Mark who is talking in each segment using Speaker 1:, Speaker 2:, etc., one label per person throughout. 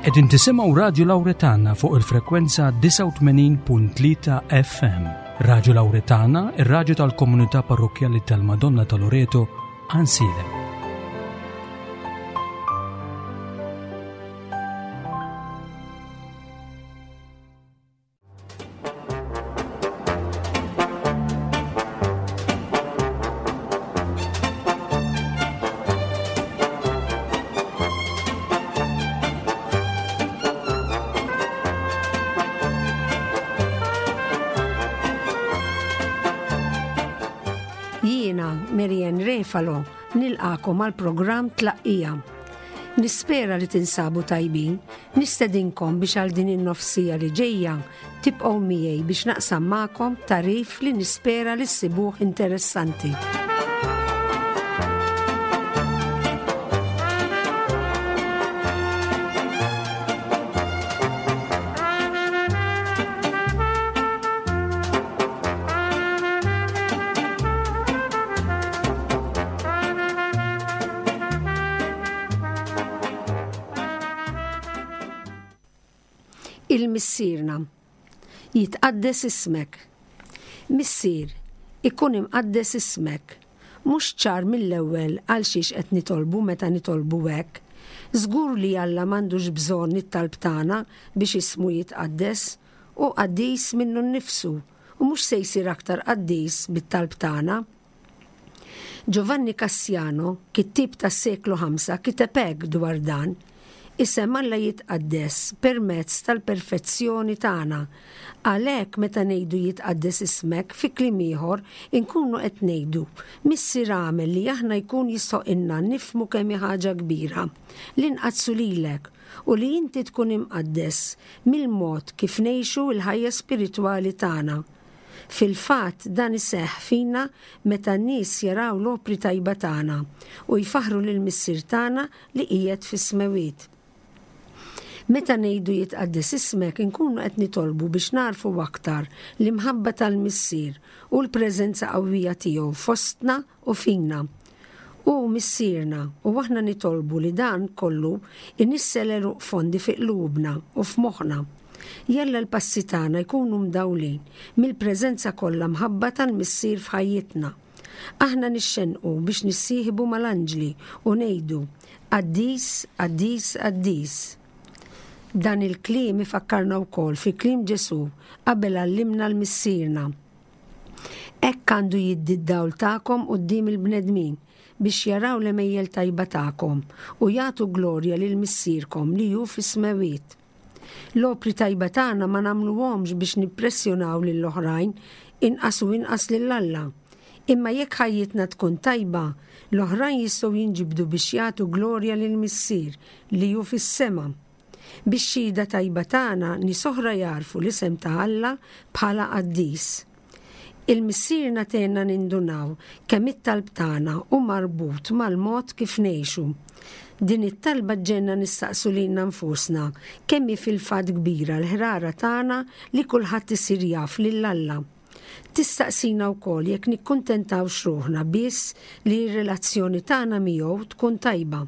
Speaker 1: Qegħdin tisimgħu Radju Lawretana fuq il-frekwenza 89.3 FM. Radju Lawretana, ir-radju tal-komunità parrokkjali tal-Madonna ta' Loreto, Ansiedem.
Speaker 2: Jiena, Marianne Refalo, nilqakom għal programm Tlaqqija. Nispera li tinsabu tajbin, nistedinkom biex għal din in-nofsija li ġejja tibqgħu miegħi biex naqsam magħkom tagħrif li nispera li ssibuh interessanti. Il-Missierna. Jitqaddes ismek. Missier, ikun imqaddes ismek. Mhux ċar mill-ewwel għal xiex qed nitolbu meta nitolbu hekk. Żgur li Alla m'għandux bżonn it-talb tagħna biex ismu jitqaddes. Hu qaddis minnu nnifsu u mhux se jsir aktar qaddis bit-talb tagħna. Giovanni Cassiano, kittieb tas-seklu ħamsa, kiteb hekk dwar dan, Isem Alla jitqaddes permezz tal-perfezzjoni tagħna. Għalhekk meta ngħidu jitqaddes ismek, fi kliem ieħor, inkunu qed ngħidu, Missier agħmel li aħna jkun jistħoqilna nifhmu kemm hi ħaġa kbira li nqaddsu lilek u li inti tkun imqaddes mill-mod kif ngħixu l-ħajja spiritwali tagħna. Fil-fatt, dan iseħħ fina meta n-nies jaraw l-opri tajba tagħna u jfaħħru lill-Missier tagħna li qiegħed fis-smewwiet. Meta ngħidu jitqaddes ismek inkunu qed nitolbu biex nagħrfu aktar l-imħabba tal-Missier u l-preżenza qawwija tiegħu fostna u fina. Hu Missierna u aħna nitolbu li dan kollu inissel għeruq fondi fi qlubna u f'moħħna. Jalla l-passi tagħna jkunu mdawlin mill-preżenza kollha mħabba tal-Missier f'ħajjitna. Aħna nixxennqu biex nissieħbu mal-anġli u ngħidu, Qaddis, qaddis, qaddis. Dan il-kliem ifakkarna wkoll fi kliem Ġesù qabel għallimna l-Missierna. Hekk għandu jiddi d-dawl tagħkom quddiem il-bnedmin, biex jaraw l-għemejjel tajba tagħkom u jagħtu glorja lil Missierkom li hu fis-smewwiet. L-opri tajba tagħna ma nagħmluhomx biex nippressjonaw lil oħrajn, inqas u inqas lil Alla. Imma jekk ħajjitna tkun tajba, l-oħrajn jistgħu jinġibdu biex jagħtu glorja lill-Missier li hu fis-sema. Bix-xhieda tajba tagħna nies oħra jagħrfu l-isem ta' Alla bħala qaddis. Il-Missierna tgħinna nindunaw kemm it-talb tagħna hu marbut mal-mod kif ngħixu. Din it-talba ġġegħelna nistaqsu lilna nfusna kemm hi fil-fatt kbira l-ħrara tagħna li kulħadd isir jaf lil Alla. Tistaqsina wkoll jekk nikkuntentawx ruħna biss li r-relazzjoni tagħna miegħu tkun tajba.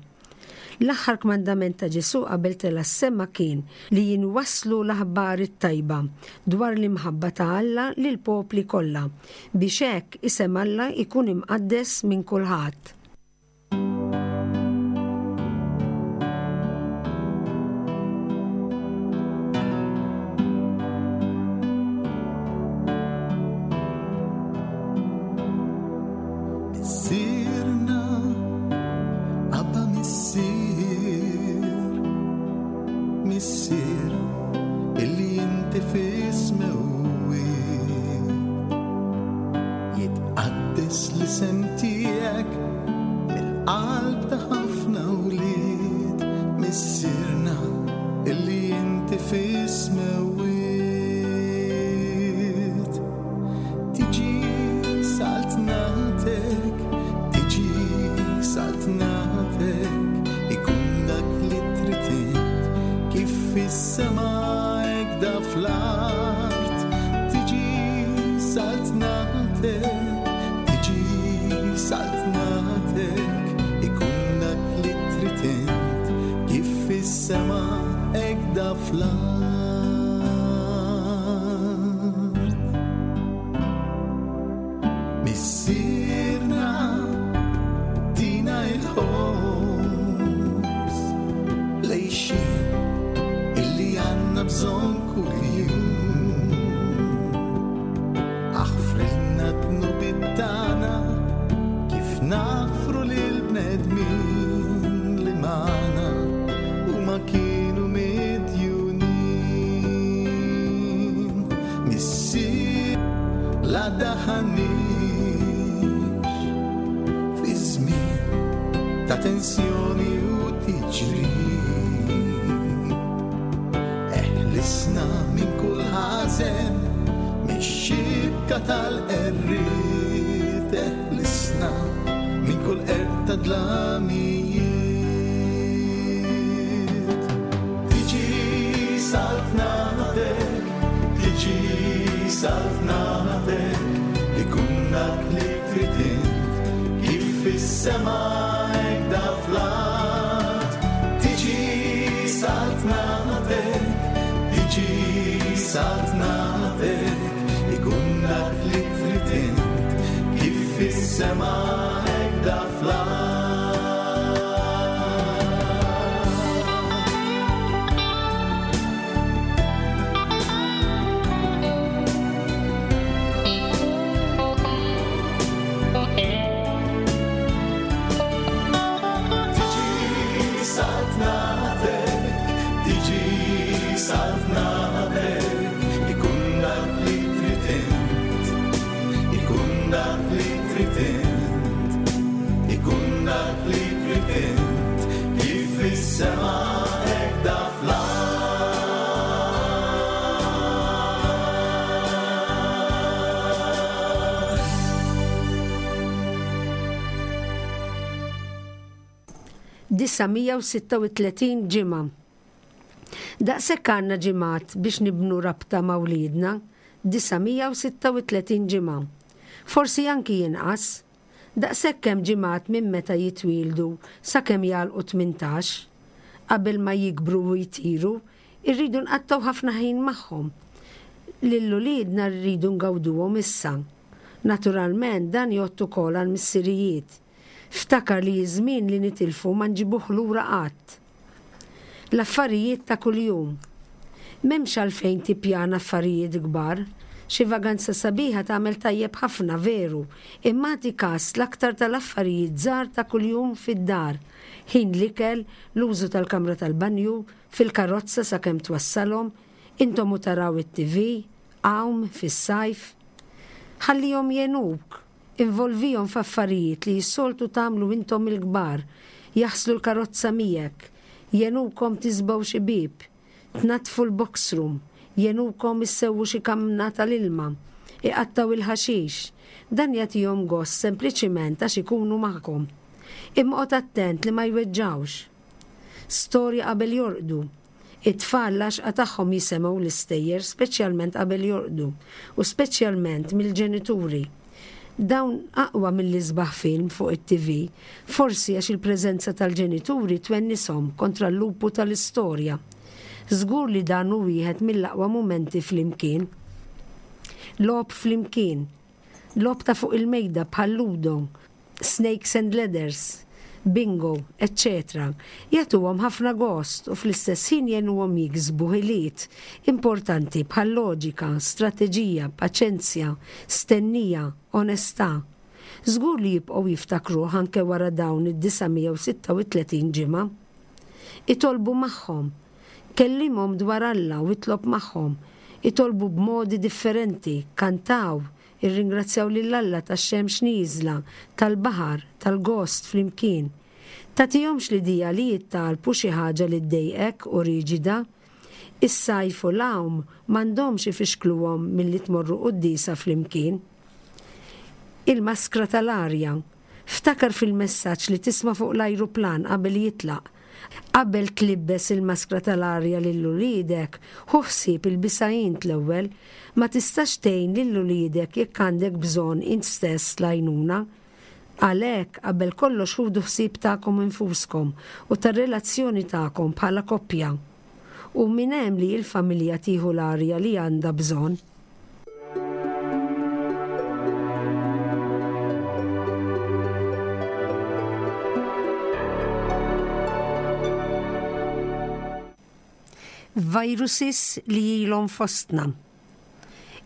Speaker 2: L-aħħar kmandament ta' Ġesù qabel tela' s-sema kien li jinwasslu l-aħbar it-tajba dwar l-imħabba ta' Alla lill-popli kollha, biex hekk isem Alla jkun imqaddes minn kulħadd.
Speaker 3: Missierna, Abba Missier, Missier, illi inti fis-smewwiet. Jitqaddes l-isem tiegħek mill-qalb ta' ħafna wlied, Missierna, illi inti fis-smewwiet. Tiġi saltnatek, tiġi saltnatek, ikun dak li trid int, kif fis-sema hekk da fl-art. Tiġi saltnatek, tiġi saltnatek, ikun dak li trid int, kif fis-sema hekk. fl-art. Missierna tina il-ħobż lejxin illi għandna bżonn kuljum. Aħfrilna d-dnubiet tagħna kif naħfru lil bnedmin li magħna huma kienu midjunin. Missier la daħanix fi żmien ta' tensjoni u tiġrib. Eħlisna minn kull ħażen, mix-xibka tal-qerried, eħlisna minn kull qerq ta' dlamijiet. Tiġi saltnatek, tiġi saltnatek, ikun dak li trid int, kif fis-sema hekk da fl-art. Tiġi saltnatek, tiġi saltnatek, ikun dak li trid int, kif fis-sema hekk da fl-art. Tiġi saltnatek, tiġi saltnatek, ikun dak li trid int, ikun dak li trid int, ikun dak li trid int, kif fis-sema hekk da fl-art.
Speaker 2: 936 ġimgħa. Daqshekk għandna ġimgħat biex nibnu rabta ma' wliedna, 936 ġimgħa. Forsi anki inqas. Daqshekk hemm ġimgħat minn meta jitwieldu sakemm jagħlqu 18. Qabel ma jikbru u jtiru, irridu nqattgħu ħafna ħin magħhom. Lil uliedna rridu ngawduhom issa. Naturalment dan jgħodd ukoll għall-missirijiet. Ftakar li ż-żmien li nitilfu ma nġibuh lura qatt. L-affarijiet ta' kuljum. M'hemmx għalfejn tippjana affarijiet kbar. Xi vaganza sabiħa tagħmel tajjeb ħafna, veru, imma agħti kas l-aktar tal-affarijiet żgħar ta' kuljum fid-dar, ħin l-ikel, l-użu tal-kamra tal-banju, fil-karozza sakemm twassalhom, intom u taraw it-TV, għawm fis-sajf. Ħallihom jgħinuk. Involvihom f'affarijiet li s-soltu tagħmlu intom il-kbar, jaħslu l-karozza miegħek, jgħinukom tiżbgħu xi bieb, tnaddfu l-box room, jgħinukom issewwu xi kamna tal-ilma, iqattgħu il-ħaxix. Dan jagħtihom gost sempliċiment għax ikunu magħkom. Imma oqgħod attent li ma jweġġgħux. Storja qabel jorqdu. It-tfal l-għaxqa tagħhom jisemgħu l-istejjer speċjalment qabel jorqdu u speċjalment mill-ġenituri. Dawn aqwa mill-isbaħ film fuq it-TV, forsi għax il-preżenza tal-ġenituri twennishom kontra l-lupu tal-istorja. Żgur li dan hu wieħed mill-aqwa mumenti flimkien. Logħob flimkien. Logħob ta' fuq il-mejda bħal ludo, snakes and ladders, bingo, eċċetera Jagħtuhom ħafna gost u fl-istess ħin jgħinuhom jiksbu ħiliet importanti bħal loġika, strateġija, paċenzja, stennija, onestà. Żgur li jibqgħu jiftakruh anke wara dawn id-936 ġimgħa. Itolbu magħhom. Kellimhom dwar Alla u itlob magħhom. Itolbu b'modi differenti, kantaw, Irringrazzjaw lil Alla tax-xemx nieżla, tal-baħar, tal-gost flimkien. Tagħtihomx l-idea li jittalbu xi ħaġa li ddejqek u riġida. Is-sajf u l-għawm m'għandhomx ifixkluhom milli tmorru quddiesa flimkien. Il-maskra tal-arja. Ftakar fil-messaġġ li tisma' fuq l-ajruplan qabel jitlaq. Qabel tlibbes il-maskra tal-arja lil uliedek, ħu ħsieb ilbisha int l-ewwel. Ma tistax tgħin lil uliedek jekk għandek bżonn int stess l-għajnuna. Għalhekk, qabel kollox ħudu ħsieb tagħkom infuskom u tar-relazzjoni tagħkom bħala koppja. U minn hemm li l-familja tieħu l-arja li għandha bżonn. Viruses li ilhom fostna.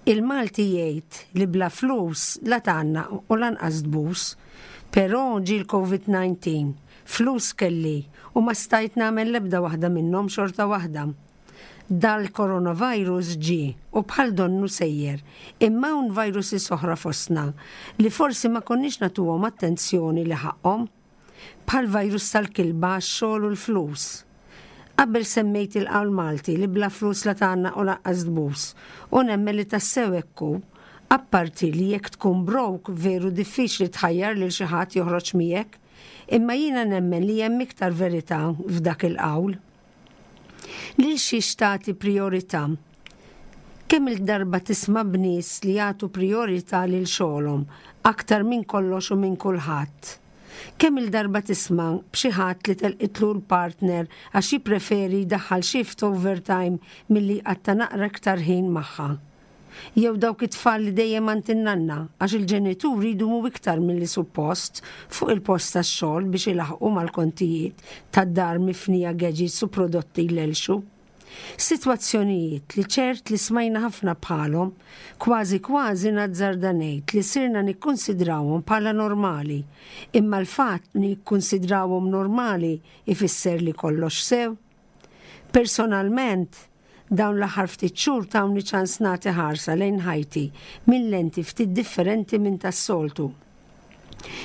Speaker 2: Il-Malti jgħid li bla flus la tgħannaq u lanqas tbus. Però ġie l-Covid 19, flus kelli u ma stajt nagħmel l-ebda waħda minnhom xorta waħda. Dal-coronavirus ġie u bħal donnu sejjer, imma hawn viruses oħra fostna li forsi ma konniex nagħtuhom attenzjoni li ħaqqhom. Bħall-virus tal-kilba għax-xogħol u l-flus. Qabel semmejt il-qawl Malti li bla flus la tgħannaq u lanqas tbus, u nemmen li tassew hekk hu. Apparti li jekk tkun broke veru diffiċli tħajjar lil xi ħadd joħroġ miegħek. Imma jiena nemmen li hemm iktar verità f'dak il-qawl. Lil xiex tagħti prijorità? Kemm-il darba tisma' b'nies li jagħtu prijorità lil xogħolhom aktar minn kollox u minn kulħadd? Kemm-il darba tisma' b'xi ħadd li telqitlu l-partner għax jippreferi jdaħħal shift overtime milli jqatta' naqra iktar ħin magħha? Jew dawk it-tfal li dejjem għand in-nanna għax il-ġenituri jdumu iktar milli suppost fuq il-post tax-xogħol biex ilaħħqu mal-kontijiet tad-dar mifnija gadgets u prodotti jlellxu. Sitwazzjonijiet li ċert li smajna ħafna bħalhom, kważi kważi nazzarda ngħid li sirna nikkunsidrawhom bħala normali. Imma l-fatt li nikkunsidrawhom normali jfisser li kollox sew? Personalment, dawn l-aħħar ftit xhur tawni ċans nagħti ħarsa lejn ħajti minn lenti ftit differenti minn tas-soltu.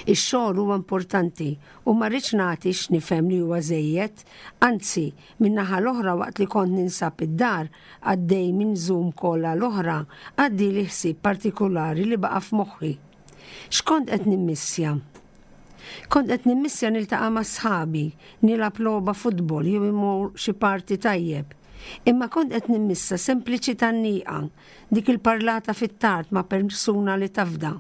Speaker 2: Ix-xogħol huwa importanti u ma rridx nagħti x'nifhem li huwa żejjed, anzi, min-naħa l-oħra waqt li kont ninsab id-dar għaddej minn Zoom call għal oħra, għaddieli ħsieb partikulari li baqa' f'moħħi. X'kont qed nimmissja? Kont qed nimmissja niltaqa' ma' sħabi, nilgħab logħba futbol jew immur xi party tajjeb. Imma kont qed nimmissa sempliċi tgħanniqa, dik il-parlata fit-tard ma' persuna li tafda.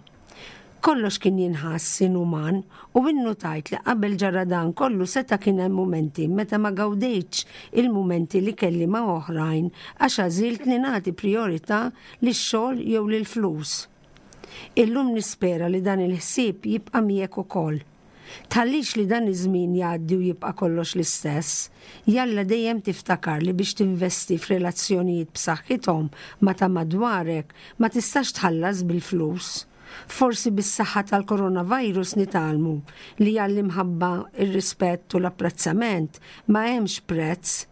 Speaker 2: Kollox kien jinħass inuman u innutajt li qabel ġara dan kollu seta' kien hemm mumenti meta ma gawdejtx il-mumenti li kelli ma' oħrajn għax għażilt li nagħti prijorità lix-xogħol jew lill-flus. Illum nispera li dan il-ħsieb jibqa' miegħek ukoll. Tħallix li dan iż-żmien jgħaddi u jibqa' kollox l-istess. Jalla dejjem tiftakar li biex tinvesti f'relazzjonijiet b'saħħithom ma' ta' madwarek ma tistax tħallas bil-flus. Forsi bis-saħħa tal-coronavirus nitgħallmu li għall-imħabba, ir-rispett u l-apprezzament ma hemmx prezz.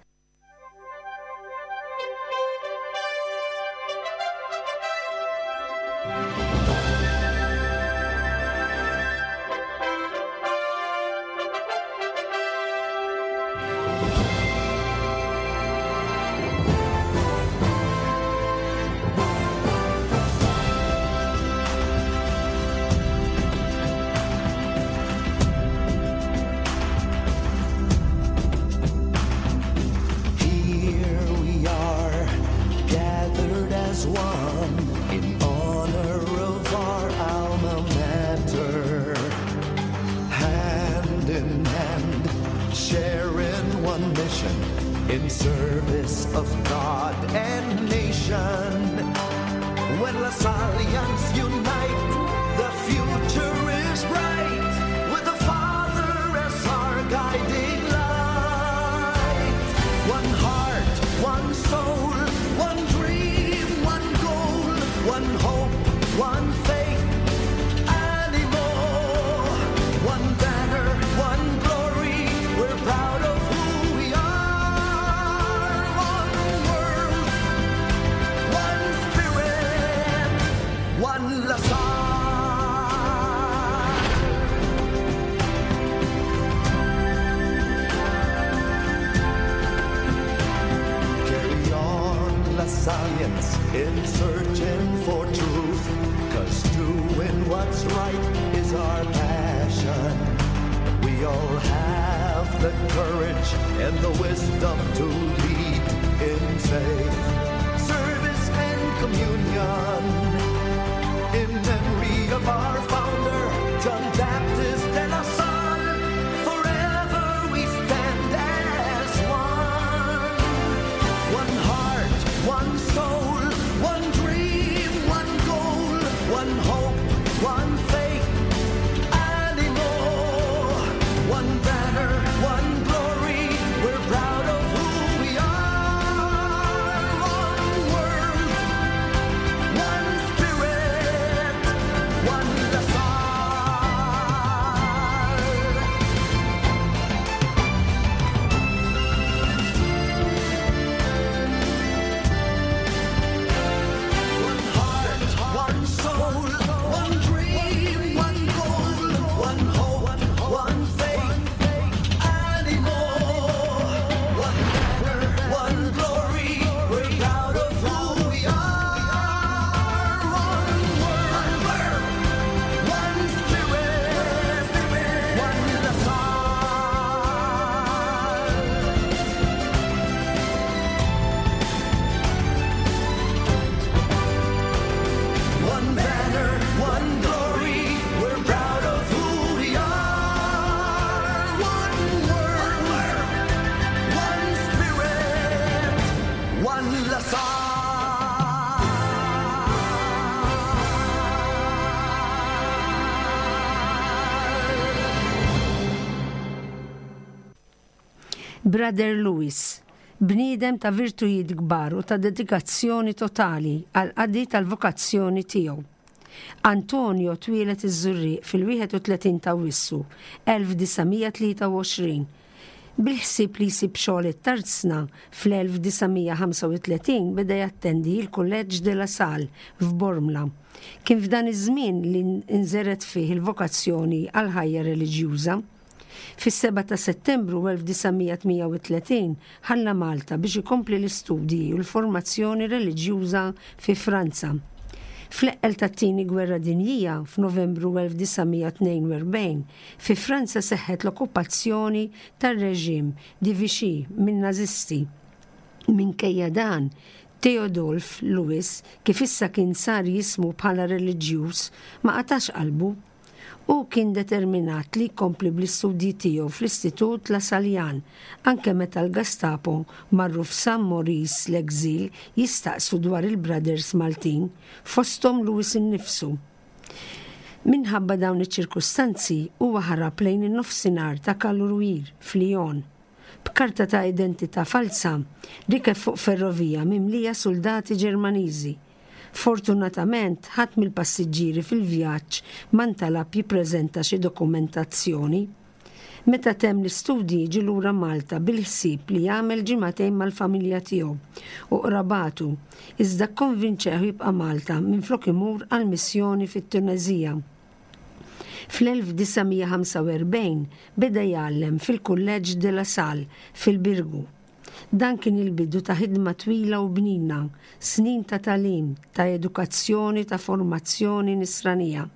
Speaker 3: Here we are, gathered as one in honor of our alma mater. Hand in hand, sharing one mission in service of God and nation. When Lasallians unite, the future is bright with the Father as our guiding light. One heart, one soul, one dream, one goal, one hope, one faith, animo. One banner, one glory, we're proud of who we are. One world, one spirit, one La Salle. Carry on, Lasallians, in searching for truth. Cause doing what's right is our passion. We all have the courage and the wisdom to lead in faith, service, and communion. In memory of our founder, John Baptist de La Salle, forever we stand as one.
Speaker 2: Brother Louis, bniedem ta' virtujiet kbar u ta' dedikazzjoni totali għall-qadi tal-vokazzjoni tiegħu. Antonio twieled iż-Żurrieq fil-31 t'Awwissu 1923. Bil-ħsieb li jsib xogħol it-tarzna, fl-1935 beda jattendi l-Kulleġġ de la Salle f'Bormla. Kien f'dan iż-żmien li nżergħet fih il-vokazzjoni għall-ħajja reliġjuża. Fis-7 ta' Settembru 1938 ħalla Malta biex ikompli l-istudji u l-formazzjoni reliġjuża fi Franza. Fl-eqqel tat-Tieni Gwerra Dinjija, f'Novembru 1942, fi Franza seħħet l-okkupazzjoni tar-reġim di Vichy min-Nażisti. Minkejja dan, Theodulf Louis, kif issa kien sar jismu bħala reliġjuż, ma qatax qalbu. Hu kien determinat li jkompli bl-istudji tiegħu fl-Istitut Lasaljan, anke meta l-Gastapo marru f'San Maurice l-Exil jistaqsu dwar il-Brothers Maltin, fosthom Louis innifsu. Minħabba dawn iċ-ċirkustanzi, huwa ħarab lejn in-Nofsinhar ta' Caluire, f'Lyon. B'karta ta' identità falza, rikeb fuq ferrovija mimlija suldati Ġermaniżi. Fortunatament, ħadd mill-passiġġieri fil-vjaġġ ma ntalab jippreżenta xi dokumentazzjoni. Meta temm l-istudji ġie lura Malta bil-ħsieb li jagħmel ġimagħtejn mal-familja tiegħu u qrabatu, iżda kkonvinċeh jibqa' Malta minflok imur għal missjoni fit-Tuneżija. Fl-1945 beda jgħallem fil-Kulleġġ de la Salle fil-Birgu. Dan kien il-bidu ta' ħidma twila u bnina, snin ta' tagħlim, ta' edukazzjoni, ta' formazzjoni nisranija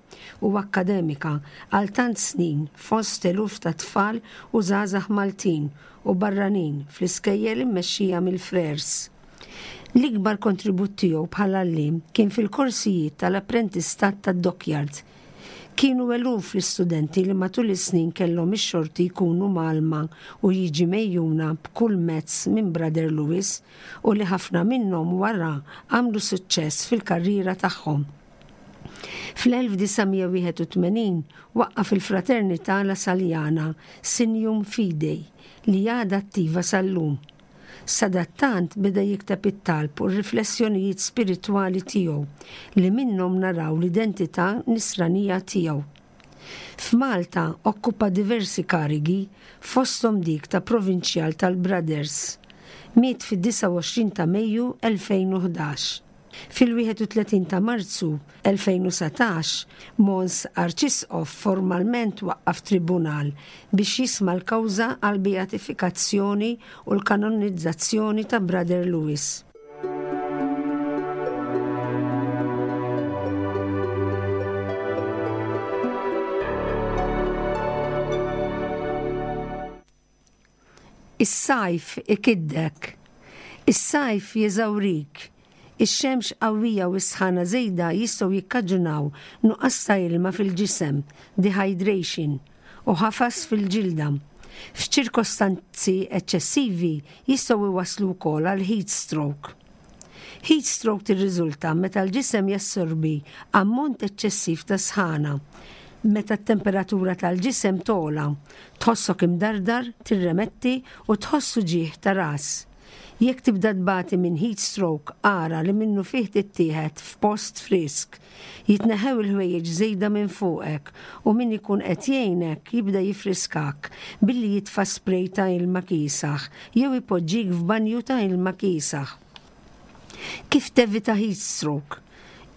Speaker 2: u akkademika għal tant snin fost eluf ta' tfal u żgħażagħ Maltin u barranin fl-iskejjel immexxija mill-Frères. L-ikbar kontribut tiegħu bħala għalliem kien fil-korsijiet tal-apprentistat tad-dockyard Kienu eluf l-istudenti li matul is-snin kellhom ix-xorti jkunu mgħallma u jiġi megħjuna b'kull mezz minn Brother Louis u li ħafna minnhom wara għamlu suċċess fil-karriera tagħhom. Fl-1981 waqqaf il-Fraternità Lasaljana Signum Fidei li għadha attiva sal-lum. Sadattant beda jikteb it-talb u r-riflessjonijiet spiritwali tiegħu li minnhom naraw l-identità nisranija tiegħu. F'Malta okkupa diversi karigi fosthom dik ta' Provinċjal tal-Brothers. Miet fid-29 ta' Mejju 2011. Fil-31 ta' Marzu 2019, Mons Arċisqof formalment waqqaf tribunal biex jisma' l-kawża għall-beatifikazzjoni u l-kanonizzazzjoni ta' Brother Louis. Is-sajf ikiddek. Is-sajf jeżawrik. Ix-xemx qawwija u s-sħana żejda jistgħu jikkaġunaw nuqqas ta' ilma fil-ġisem, dehydration, u ħafas fil-ġilda. F'ċirkostanzi eċċessivi jistgħu jwasslu wkoll għal heat stroke. Heat stroke tirriżulta meta l-ġisem jassorbi ammont eċċessiv ta' sħana. Meta t-temperatura tal-ġisem togħla, tħossok imdardar, tirremetti u tħoss uġigħ ta' ras. Jekk tibda tbati minn heat stroke ara li minnufih tittieħed f'post frisk. Jitneħħew il-ħwejjeġ żejda minn fuqek u min ikun qed jgħinek jibda jiffriskak billi jitfa' spray ta' ilma kiesaħ jew ipoġġik f'banju ta' ilma kiesaħ. Kif tevita heat stroke?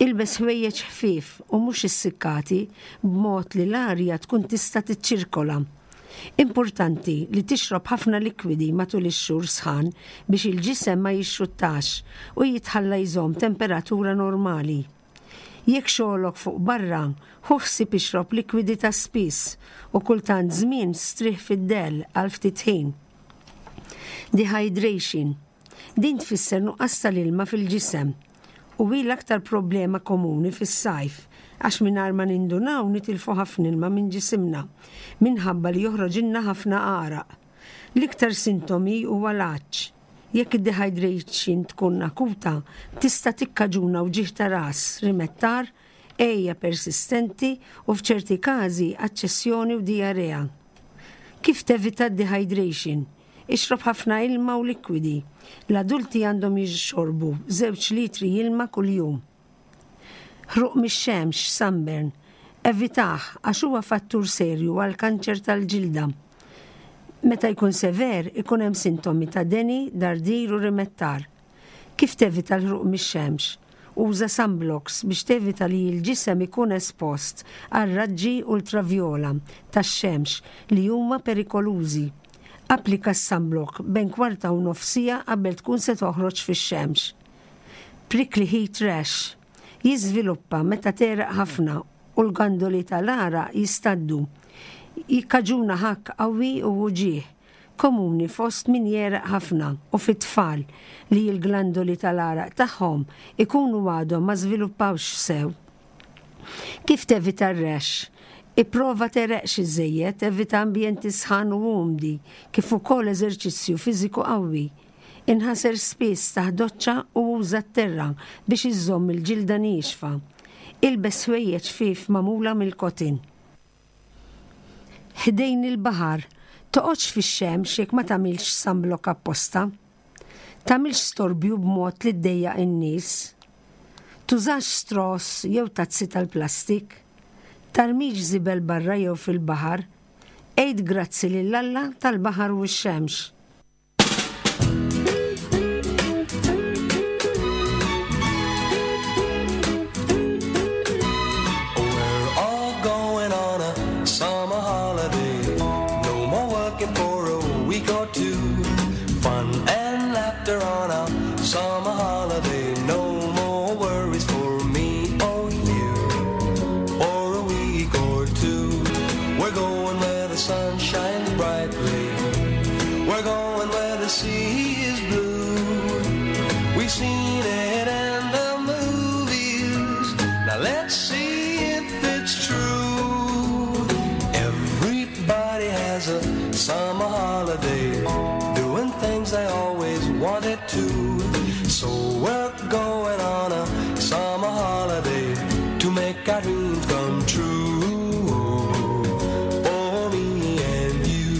Speaker 2: Ilbes ħwejjeġ ħfief u mhux issikkati b'mod li l-arja tkun tista' tiċċirkola. Importanti li tixrob ħafna likwidi matul ix-xhur sħan biex il-ġisem ma jixxuttax u jitħalla jżomm temperatura normali. Jekk xogħlok fuq barra, ħu ħsieb ixrob likwidi ta' spiss u kultant żmien strieħ fid-dell għal ftit ħin. Dehydration. Din tfisser nuqqas tal-ilma fil-ġisem u hi l-aktar problema komuni fis-sajf għax mingħajr ma nindunaw nitilfu ħafna ilma minn ġisimna minħabba li joħroġilna ħafna għaraq. L-iktar sintomi huwa l-għatx. Jekk id-dehydration tkun akuta, tista' tikkaġuna wġigħ ta' ras, rimettar, għeja persistenti u f'ċerti każi aċċessjoni u dijarea. Kif tevita d-dehydration? Ixrob ħafna ilma u likwidi. L-adulti għandhom jixorbu żewġ litri ilma kuljum. Ħruq mix-xemx, sunburn, evitah għax huwa fattur serju għall-kanċer tal-ġilda. Meta jkun sever, ikun hemm sintomi ta' deni, dardir u rimettar. Kif tevita l-ħruq mix-xemx? Uża sunblocks biex tevita li l-ġisem ikun espost għal raġġi ultravjola tax-xemx li huma perikolużi. Applika s-sunblock bejn kwarta u nofs siegħa qabel tkun se toħroġ fix-xemx. Prickly heat rash jiżviluppa meta tegħreq ħafna u l-gandoli tal-għaraq jistaddu. Jikkaġuna ħakk qawwi u uġigħ, komuni fost min jegħreq ħafna u fit-tfal li l-glandoli tal-għaraq tagħhom ikunu għadhom ma żviluppawx sew. Kif tevita r-rash? Ipprova tegħreqx iżżejjed, evita ambjenti sħan u umdi, kif ukoll eżerċizzju fiżiku qawwi. Inħasel spiss taħt doċċa u uża t-terra biex iżżomm il-ġilda niexfa. Ilbes ħwejjeġ ħfief magħmula mill-cotton. Ħdejn il-baħar, toqgħodx fix-xemx jekk ma tagħmilx sunblock apposta. Tagħmilx storbju b'mod li ddejjaq in-nies. Tużax straws jew tazzi tal-plastik. Tarmix żibel barra jew fil-baħar. Għid grazzi lil Alla tal-baħar u x-xemx.
Speaker 3: Summer holiday, no more worries for me or you. For a week or two, we're going where the sun shines brightly. We're going where the sea is blue. We've seen it in the movies. Now let's see if it's true. Everybody has a summer holiday, doing things they always wanted to. So we're going on a summer holiday to make our dreams come true. For me and you.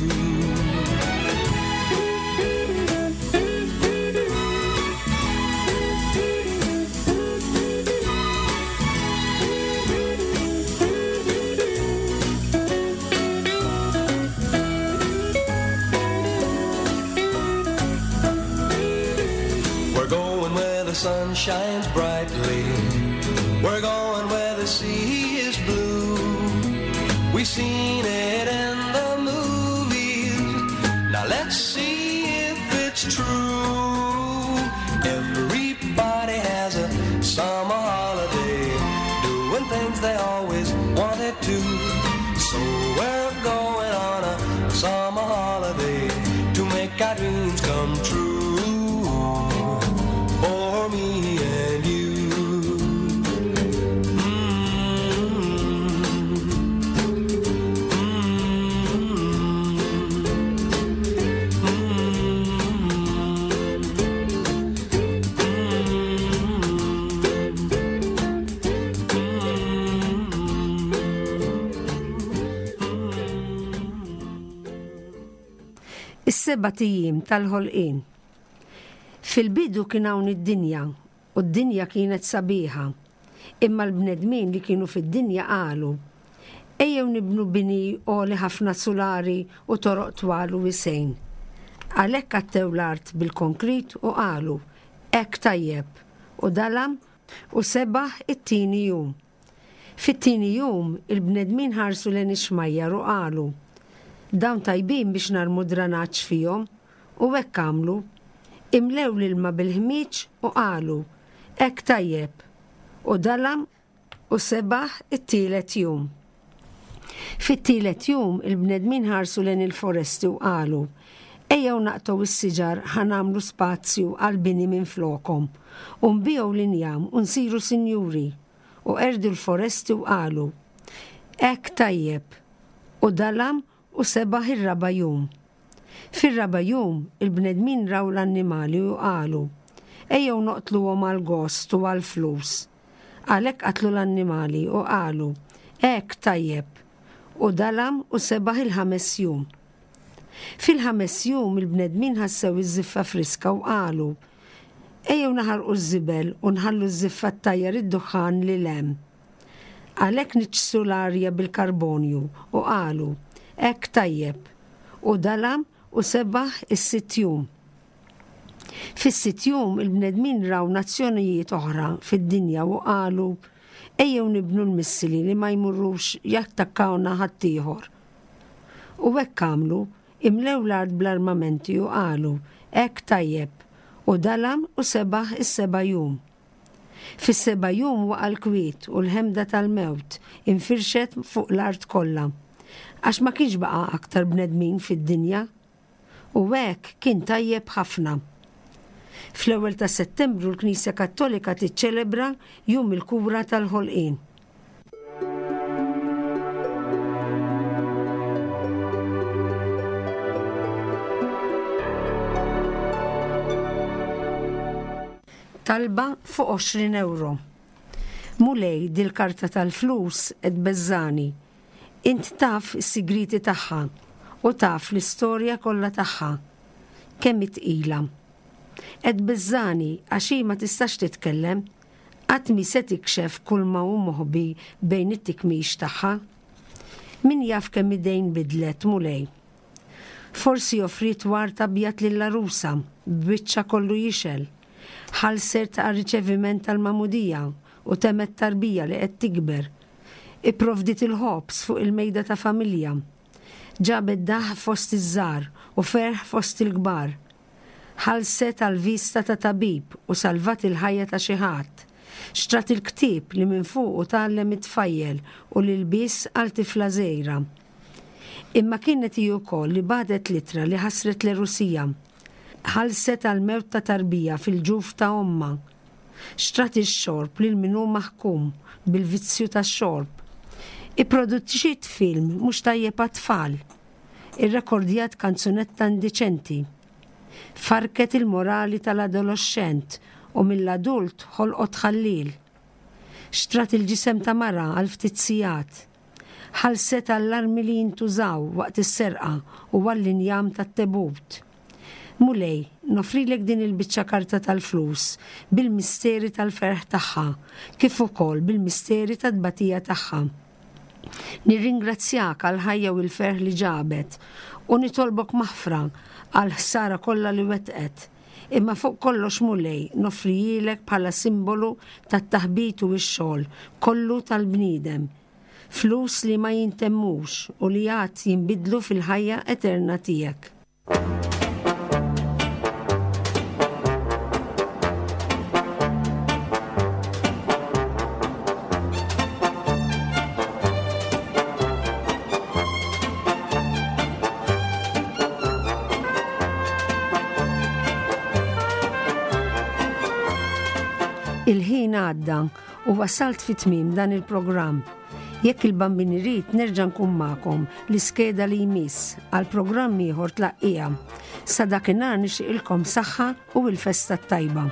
Speaker 3: We're going where the sun shines brightly. We're going where the sea is blue. We've seen it in the movies. Now let's see if it's true. Everybody has a summer holiday, doing things they always wanted to. So we're going on a summer holiday to make our dreams come true. For me and you.
Speaker 2: Is-sebat ijiem tal-ħolqien. Fil-bidu kien hawn id-dinja, u d-dinja kienet sabiħa. Imma l-bnedmin li kienu fid-dinja qalu, Ejjew nibnu bini għoli ħafna sulari u toroq twal u wisgħin. Għalhekk għattew l-art bil-konkrit u qalu, Hekk tajjeb. U dalam u sebaħ it-tieni jum. Fit-tieni jum, il-bnedmin ħarsu lejn ix-xmajjar u qalu, Dawn tajbin biex narmu dranaġġ fihom. U hekk għamlu. Imlew l-ilma bil-ħmieġ u qalu, Hekk tajjeb. U dalam u sebaħ it-tielet jum. Fit-tielet jum, il-bnedmin ħarsu lejn il-foresti u qalu, Ejjew naqtgħu s-siġar ħa nagħmlu spazju għall-bini minflokhom, u nbigħu l-injam u nsiru sinjuri. U qerdu l-foresti u qalu, Hekk tajjeb. U dalam u sebaħ ir-raba' jum. Fir-raba' jum, il-bnedmin raw l-annimali u qalu, Ejjew noqtluhom għall-gost u għall-flus. Għalhekk qatlu l-annimali u qalu, Hekk tajjeb. U dalam u sebaħ il-ħames jum. Fil-ħames jum il-bnedmin ħassew iż-żiffa friska u qalu, Ejjew naħarqu ż-żibel u nħallu ż-żiffa ttajjar id-duħħan lil hemm. Għalhekk niġġsu l-arja bil-karbonju u qalu, Hekk tajjeb. U dalam u sebaħ is-sitt jum. Fis-sitt jum il-bnedmin raw nazzjonijiet oħra fid-dinja u qalu, Ejjew nibnu l-missili li ma jmurrux jattakkawna ħaddieħor. U hekk għamlu, imlew l-art bl-armamenti u qalu, Hekk tajjeb. U dalam u sebaħ is-seba' jum. Fis-seba' jum waqa' l-kwiet u l-ħemda tal-mewt infirxet fuq l-art kollha, għax ma kienx baqa' aktar bnedmin fid-dinja. U hekk kien tajjeb ħafna. Fl-ewwel ta' Settembru l-Knisja Kattolika tiċċelebra Jum il-Kura tal-Ħolqien. Talba fuq 20 ewro. Mulej, dil-karta tal-flus qed tbeżżagħni. Int taf is-sigrieti tagħha u taf l-istorja kollha tagħha. Kemm hi tqila. Qed tbeżżagħni għax hi ma tistax titkellem. Qatt mhi se tikxef kulma hu moħbi bejn it-tikmix tagħha. Min jaf kemm idejn bidlet, Mulej. Forsi offriet ward abjad lill-għarusa, b'wiċċha kollu jixgħel. Ħallset għar-riċeviment tal-magħmudija u temgħet tarbija li qed tikber. Ipprovdiet il-ħobż fuq il-mejda ta' familja. Ġabet daħq fost iż-żgħar u ferħ fost il-kbar. Ħallset għal vista ta' tabib u salvat il-ħajja ta' xi ħadd. Xtrat il-ktieb li minn fuqu tgħallem it-tfajjel u l-ilbies għal tifla żgħira. Imma kienet hi wkoll li bagħtet l-ittra li ħassret l-għerusija. Ħallset għall-mewt ta' tarbija fil-ġuf ta' ommha. Xtrat ix-xorb lil min hu maħkum bil-vizzju tax-xorb. Ipproduċiet film mhux tajjeb għat-tfal. Irrekordjat kanzunetta indiċenti. Farrket il-morali tal-adoloxxent u mill-adult ħolqot ħalliel. Xtrat il-ġisem ta' mara għal ftit sigħat. Ħallset għall-armi li jintużaw waqt is-serqa u għall-injam tat-tebut. Mulej, noffrilek din il-biċċa karta tal-flus bil-misteri tal-ferħ tagħha, kif ukoll bil-misteri tat-tbatija tagħha. Nirringrazzjak għall-ħajja u l-ferħ li ġabet u nitolbok maħfra għall-ħsara kollha li wettqet. Imma fuq kollox Mulej noffrihielek bħala simbolu tat-taħbit u x-xogħol kollu tal-bniedem. Flus li ma jintemmux u li għad jinbidlu fil-ħajja eterna tiegħek. Il-ħin għadda u wasalt fi tmiem dan il-programm. Jekk il-Bambin irid nerġa' nkun magħkom l-iskeda li jmiss għal programm ieħor tlaqqija. Sa dakinhar nixtieqilkom saħħa u l-festa t-tajba.